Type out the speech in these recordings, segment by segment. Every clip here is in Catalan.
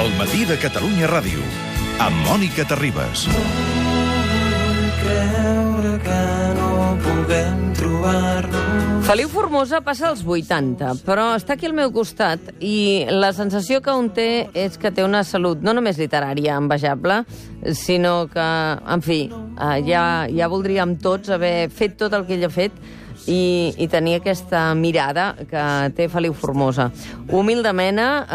El matí de Catalunya Ràdio, amb Mònica Terribas. Creure que no puguem trobar-nos. Feliu Formosa passa als 80, però està aquí al meu costat i la sensació que un té és que té una salut no només literària envejable, sinó que, en fi, ja voldríem tots haver fet tot el que ell ha fet i tenir aquesta mirada que té Feliu Formosa. Humil de mena,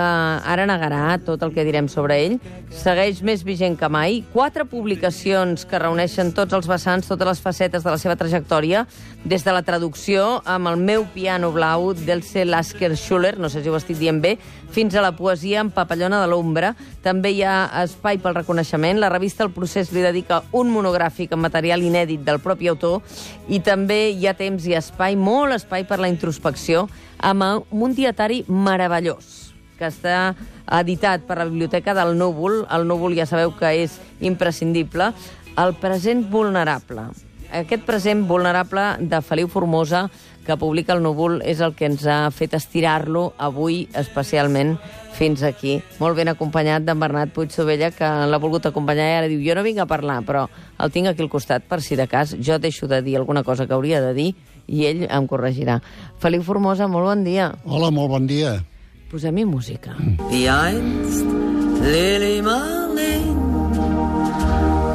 ara negarà tot el que direm sobre ell, segueix més vigent que mai, 4 publicacions que reuneixen tots els vessants, totes les facetes de la seva trajectòria, des de la traducció amb El meu piano blau d'Else Lasker-Schuller, no sé si ho estic dient bé, fins a la poesia en Papallona de l'ombra. També hi ha espai pel reconeixement. La revista El Procés li dedica un monogràfic amb material inèdit del propi autor i també hi ha temps i espai, molt espai per la introspecció, amb un dietari meravellós que està editat per la Biblioteca del Núvol. El Núvol ja sabeu que és imprescindible. El present vulnerable. Aquest present vulnerable de Feliu Formosa que publica el Núvol és el que ens ha fet estirar-lo avui especialment fins aquí. Molt ben acompanyat d'en Bernat Puigdevella, que l'ha volgut acompanyar i ara diu, jo no vinc a parlar, però el tinc aquí al costat per si de cas jo deixo de dir alguna cosa que hauria de dir i ell em corregirà. Feliu Formosa, molt bon dia. Hola, molt bon dia. Posem-hi música. Wie einst Lili Marleen,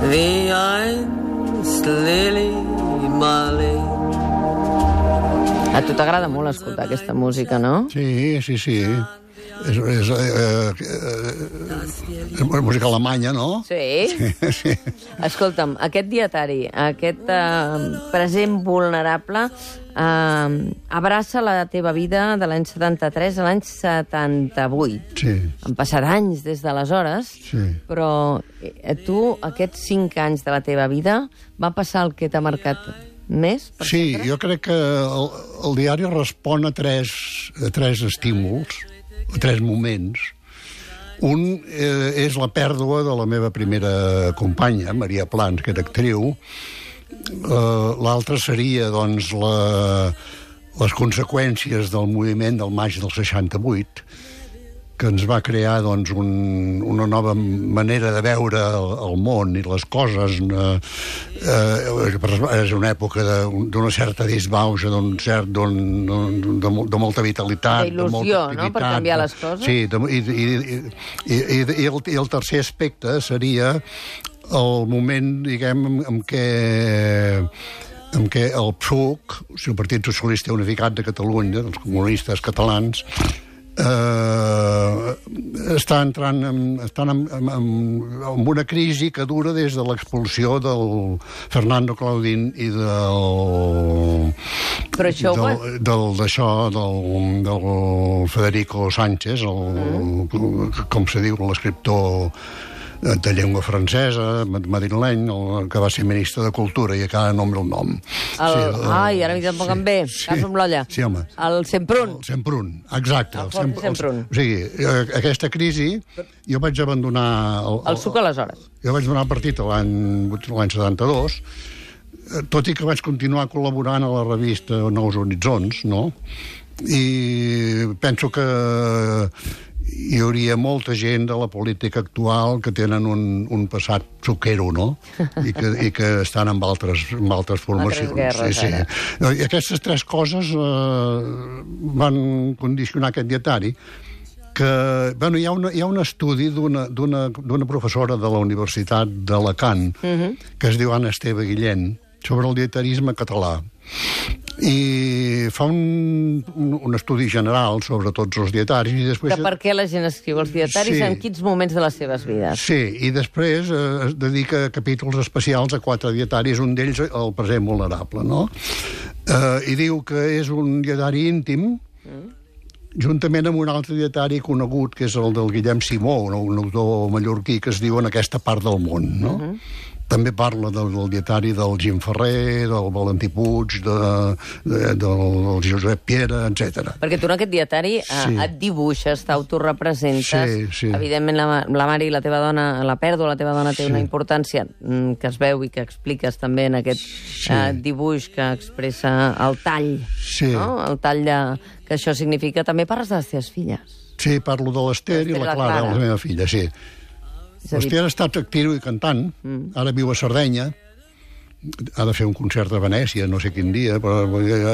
wie einst Lili Marleen. A tu t'agrada molt escoltar aquesta música, no? Sí. És música alemanya, no? Sí? Sí. Escolta'm, aquest dietari, aquest present vulnerable, abraça la teva vida de l'any 73 a l'any 78. Sí. Han passat anys des d'aleshores, Sí. però tu, aquests 5 anys de la teva vida, va passar el que t'ha marcat més? Sí, sempre? jo crec que el diari respon a tres estímuls, a 3 moments. Un és la pèrdua de la meva primera companya, Maria Plans, que era actriu. L'altre seria, doncs, les conseqüències del moviment del maig del 68, que ens va crear, doncs, una nova manera de veure el món i les coses. És una època d'una certa disbauxa, de molta vitalitat, d'il·lusió, no?, per canviar les coses. Sí, i el tercer aspecte seria el moment, diguem, en què el PSUC, el Partit Socialista Unificat de Catalunya, els comunistes catalans, estan en una crisi que dura des de l'expulsió del Fernando Claudín i del Federico Sánchez, com se diu, l'escriptor de llengua francesa, madrileny, que va ser ministre de Cultura, i encara no el nom. Ai, ara m'hi tampoc em ve. Cas amb l'olla. Sí, home. El Semprún. El Semprún, exacte. El Semprún. O sigui, aquesta crisi, jo vaig abandonar... El SUC aleshores. Jo vaig donar el partit l'any 72, tot i que vaig continuar col·laborant a la revista Nous Horitzons, no? I penso que hi hauria molta gent de la política actual que tenen un passat suquero, no? I que estan amb altres formacions. Altres guerres, sí. I aquestes 3 coses van condicionar aquest dietari, que, bueno, hi ha un estudi d'una professora de la Universitat d'Alacant, que es diu Anna Esteve Guillén, sobre el dietarisme català. I fa un estudi general sobre tots els dietaris i després... Que per què la gent escriu els dietaris, sí, en quins moments de les seves vides. Sí, i després es dedica capítols especials a 4 dietaris, un d'ells el present vulnerable, no? I diu que és un dietari íntim, juntament amb un altre dietari conegut, que és el del Guillem Simó, un autor mallorquí, que es diu En aquesta part del món, no? també parla del dietari del Gim Ferrer, del Valentí Puig, del Josep Piera, etc. Perquè tu en aquest dietari et dibuixes, t'autorepresentes. Sí. Evidentment, la Mari, la teva dona, la pèrdua, la teva dona té una importància que es veu i que expliques també en aquest dibuix que expressa el tall. No? El tall que això significa. També parles de les teves filles. Sí, parlo de l'Ester i la Clara, la meva filla, sí. L'Ester ha estat actriu i cantant, ara viu a Sardenya, ha de fer un concert a Venècia, no sé quin dia, però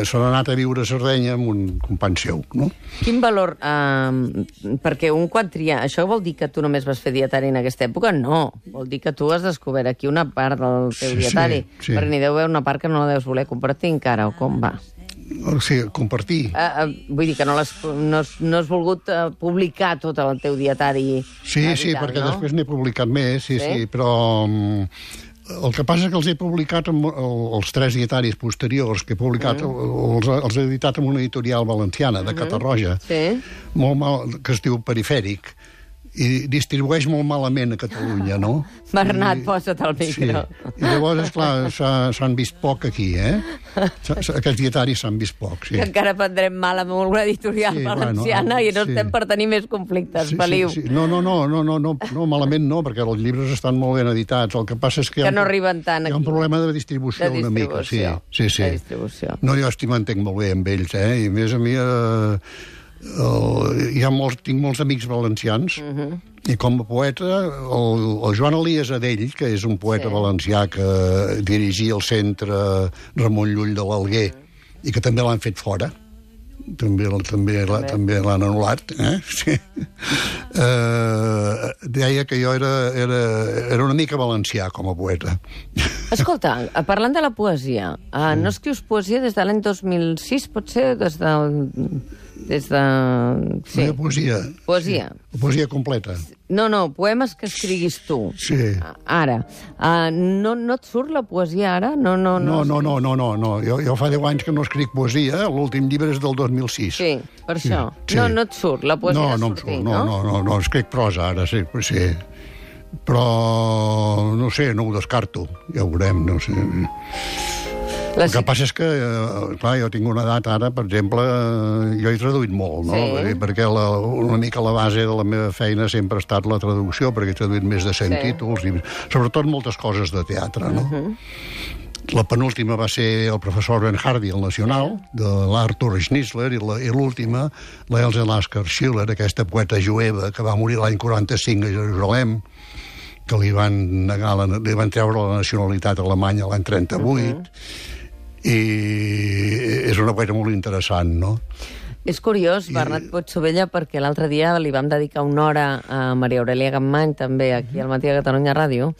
se n'ha anat a viure a Sardenya amb un company seu, no? Quin valor... perquè un quan tria... Això vol dir que tu només vas fer dietari en aquesta època? No. Vol dir que tu has descobert aquí una part del teu dietari. Sí. Perquè n'hi deu haver una part que no la deus voler compartir encara, o com va? Sí, compartir. Vull dir que no has volgut publicar tot el teu dietari. Sí, perquè després n'he publicat més, sí, però el que passa és que els he publicat els 3 dietaris posteriors que he publicat, els he editat en una editorial valenciana de Catarroja, molt mal, que es diu Perifèric, i distribueix molt malament a Catalunya, no? Bernat, posa't al micro. Sí. I llavors, esclar, s'han vist poc aquí, Aquests dietaris s'han vist poc, sí. Que encara prendrem mal amb una editorial valenciana i no estem per tenir més conflictes, Feliu. No, malament no, perquè els llibres estan molt ben editats. El que passa és que no arriben tant aquí. Hi ha un problema de distribució una mica, sí. De distribució. No, jo m'entenc molt bé amb ells, i a més a mi... tinc molts amics valencians i com a poeta el Joan Elias Adell, que és un poeta valencià que dirigia el centre Ramon Llull de l'Alguer i que també l'han fet fora, també l'han anul·lat, sí. Deia que jo era una mica valencià com a poeta. Escolta, parlant de la poesia, no escrius poesia des de l'any 2006, potser? Sí. Poesia. Poesia. Poesia completa. No, poemes que escriguis tu. Sí. Ara. No et surt la poesia ara? No. Jo fa 10 anys que no escric poesia, l'últim llibre és del 2006. Sí, per això. No et surt la poesia de sortir, no? No, escric prosa ara, sí. Però, no sé, no ho descarto. Ja ho veurem, no sé. El que passa és que, clar, jo tinc una edat ara, per exemple, jo he traduït molt, no? Sí. Perquè una mica la base de la meva feina sempre ha estat la traducció, perquè he traduït més de 100 títols, i sobretot moltes coses de teatre, no? La penúltima va ser el professor Ben Hardy, el Nacional, de l'Arthur Schnitzler, i l'última, l'Else Lasker Schiller, aquesta poeta jueva que va morir l'any 45 a Jerusalem, que li van treure la nacionalitat alemanya l'any 38, i és una poeta molt interessant, no? És curiós, Bernat Puig-Sovella, perquè l'altre dia li vam dedicar una hora a Maria Aurelia Capmany, també aquí al Matí de Catalunya Ràdio,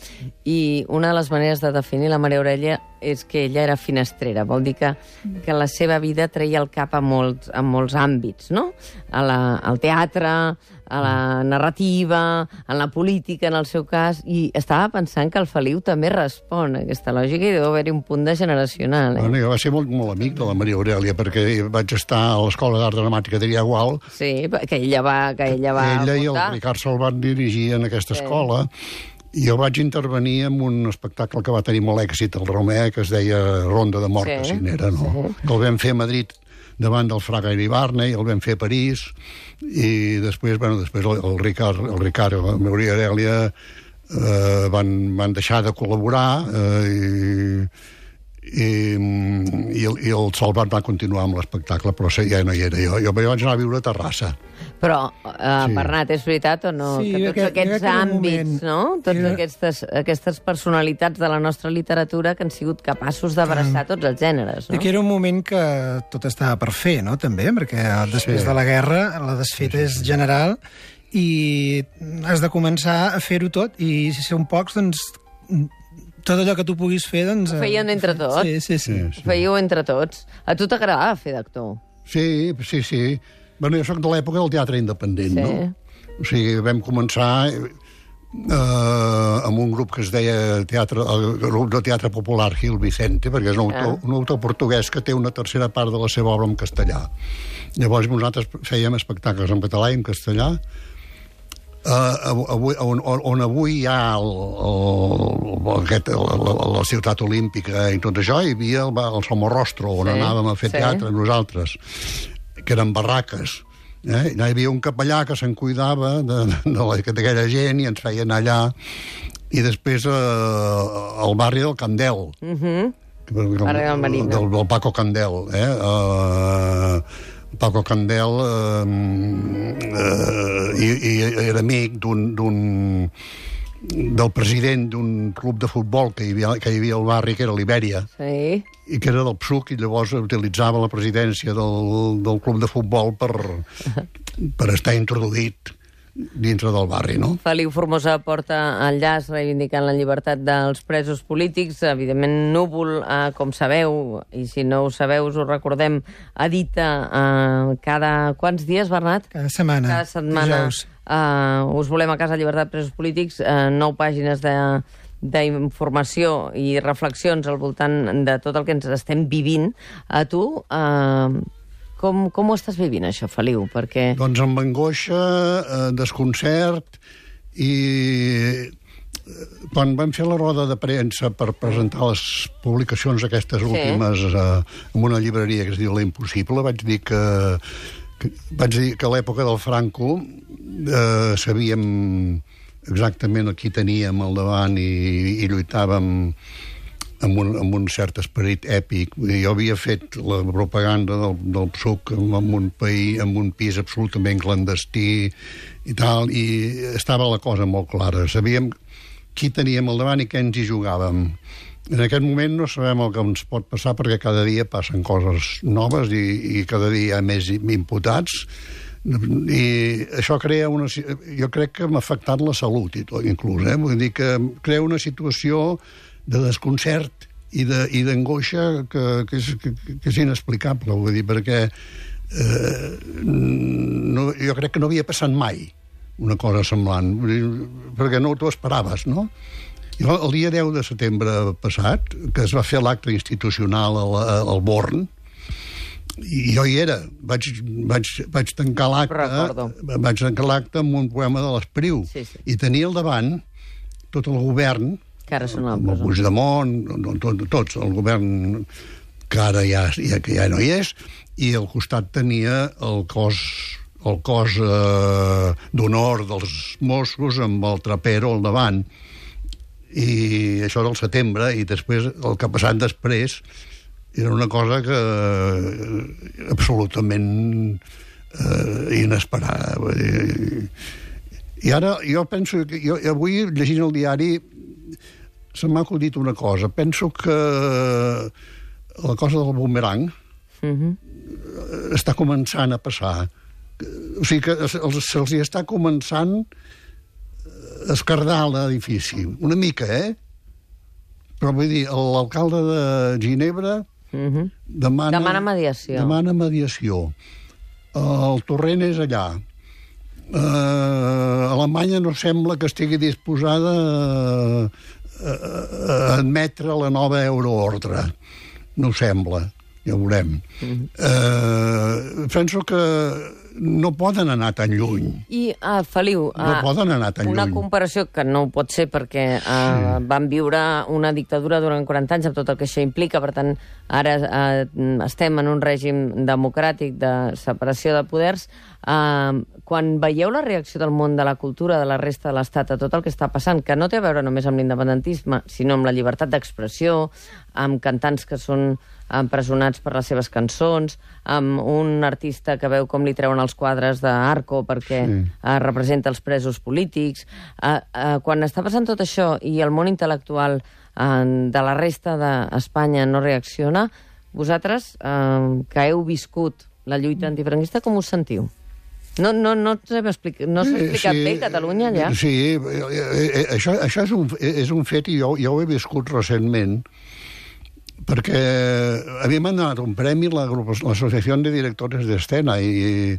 i una de les maneres de definir la Maria Aurelia és que ella era finestrera, vol dir que la seva vida treia el cap a molts àmbits, no? Al teatre, a la narrativa, a la política, en el seu cas, i estava pensant que el Feliu també respon a aquesta lògica i deu haver-hi un punt de generacional. Bueno, jo vaig ser molt amic de la Maria Aurelia, perquè vaig estar a l'Escola d'Art Dramàtica de Gual. Sí, que ella va Ella i el Ricard se'l van dirigir en aquesta escola, i jo vaig intervenir en un espectacle que va tenir molt èxit al Romea, que es deia Ronda de Mort Casinera, no? Que el vam fer a Madrid davant del Fraga Iribarne, i el vam fer a París, i després el Ricard i la Maria Aurelia van deixar de col·laborar, i el Salvat va continuar amb l'espectacle, però ja no hi era jo. Jo vaig anar a viure a Terrassa. Però, Bernat, és veritat o no? Sí, que tots aquests àmbits, no? Totes aquestes personalitats de la nostra literatura que han sigut capaços d'abraçar tots els gèneres, no? Que era un moment que tot estava per fer, no?, també, perquè després de la guerra la desfeta és general i has de començar a fer-ho tot, i si són pocs, doncs tot allò que tu puguis fer, doncs... Ho fèiem entre tots. Sí. Ho fèieu entre tots. A tu t'agradava fer d'actor? Sí. Bueno, jo soc de l'època del teatre independent, no? O sigui, vam començar amb un grup que es deia el grup de teatre popular Gil Vicente, perquè és un autor portuguès que té una tercera part de la seva obra en castellà. Llavors nosaltres fèiem espectacles en català i en castellà, on avui hi ha la ciutat olímpica i tot això, hi havia el Somorrostro, on anàvem a fer teatre nosaltres, que eren barraques. Hi havia un capellà que se'n cuidava d'aquella gent i ens feien allà, i després el barri del Candel, del Paco Candel, Paco Candel era amic del president d'un club de futbol que hi havia al barri, que era l'Ibèria, i que era del PSUC, i llavors utilitzava la presidència del club de futbol per estar introduït dintre del barri, no? Feliu Formosa porta el llaç reivindicant la llibertat dels presos polítics. Evidentment, Núvol, com sabeu, i si no ho sabeu, us ho recordem, edita cada... Quants dies, Bernat? Cada setmana. Cada setmana. Us volem a casa, llibertat presos polítics, 9 pàgines d'informació i reflexions al voltant de tot el que ens estem vivint. A tu... Com ho estàs vivint, això, Feliu? Perquè... Doncs amb angoixa, desconcert, i quan vam fer la roda de premsa per presentar les publicacions aquestes últimes en una llibreria que es diu La Impossible, vaig dir que a l'època del Franco sabíem exactament qui teníem al davant i lluitàvem amb un cert esperit èpic. Jo havia fet la propaganda del PSUC en un pis absolutament clandestí i tal, i estava la cosa molt clara. Sabíem qui teníem al davant i què ens hi jugàvem. En aquest moment no sabem el que ens pot passar, perquè cada dia passen coses noves i cada dia hi ha més imputats, i això crea jo crec que m'ha afectat la salut inclús, vull dir que crea una situació de desconcert i d'angoixa que és inexplicable, vull dir, perquè jo crec que no havia passat mai una cosa semblant, perquè no t'ho esperaves, no? Jo, el dia 10 de setembre passat, que es va fer l'acte institucional al Born, i jo hi era, vaig tancar l'acte amb un poema de l'Espriu, i tenia al davant tot el govern, que ara són el Puigdemont, tots, el govern que ara ja no hi és, i al costat tenia el cos d'honor dels Mossos amb el Trapero al davant, i això del setembre, i després el que ha passat després era una cosa que absolutament inesperada. I ara jo penso que avui, llegint el diari, se m'ha acudit una cosa. Penso que la cosa del bumerang està començant a passar. O sigui que se'ls hi està començant a escardar l'edifici. Una mica, Però vull dir, l'alcalde de Ginebra demana mediació. El Torrent és allà. Alemanya no sembla que estigui disposada a admetre la nova euroordre. No sembla, ja ho veurem. Penso que no poden anar tan lluny. I, Feliu, no poden anar tan una lluny. comparació que no ho pot ser perquè van viure una dictadura durant 40 anys amb tot el que això implica, per tant, ara estem en un règim democràtic de separació de poders. Quan veieu la reacció del món de la cultura, de la resta de l'Estat, a tot el que està passant, que no té a veure només amb l'independentisme, sinó amb la llibertat d'expressió, amb cantants que són empresonats per les seves cançons, amb un artista que veu com li treuen els quadres d'Arco perquè representa els presos polítics. Quan està passant tot això i el món intel·lectual de la resta d'Espanya no reacciona, vosaltres, que heu viscut la lluita antifranquista, com us sentiu? No s'ha explicat bé Catalunya allà? Sí, això és un fet, i jo ho he viscut recentment, perquè a mi m'han donat un premi l'Associació de Directores d'Escena, i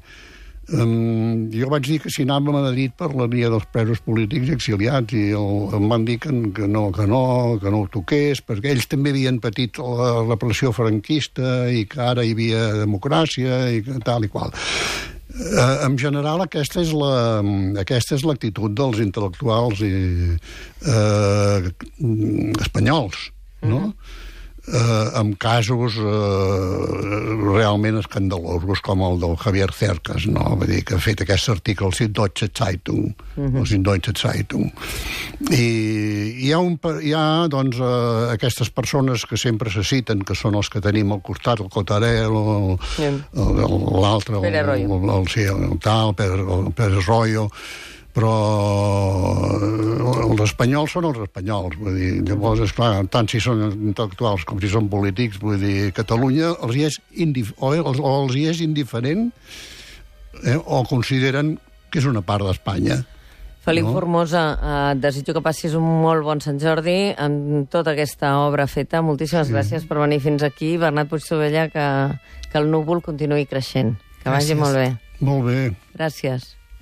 jo vaig dir que si anàvem a Madrid parlaria dels presos polítics exiliats, i em van dir que no ho toqués, perquè ells també havien patit la repressió franquista i que ara hi havia democràcia i tal i qual. En general, aquesta és l'actitud dels intel·lectuals espanyols, no? Amb casos realment escandalosos com el del Javier Cercas, no? Vull dir, que ha fet aquest article al Süddeutsche Zeitung, o Süddeutsche Zeitung. I hi ha doncs, aquestes persones que sempre se citen, que són els que tenim al costat, el Cotarel, l'altre, el tal, Pérez Royo, però els espanyols són els espanyols, vull dir, llavors, esclar, tant si són intel·lectuals com si són polítics, vull dir, Catalunya els hi és indiferent o consideren que és una part d'Espanya. Felip Formosa, et desitjo que passis un molt bon Sant Jordi amb tota aquesta obra feta. Moltíssimes gràcies per venir fins aquí. Bernat Puigdevila, que el núvol continuï creixent. Que vagi molt bé. Molt bé. Gràcies.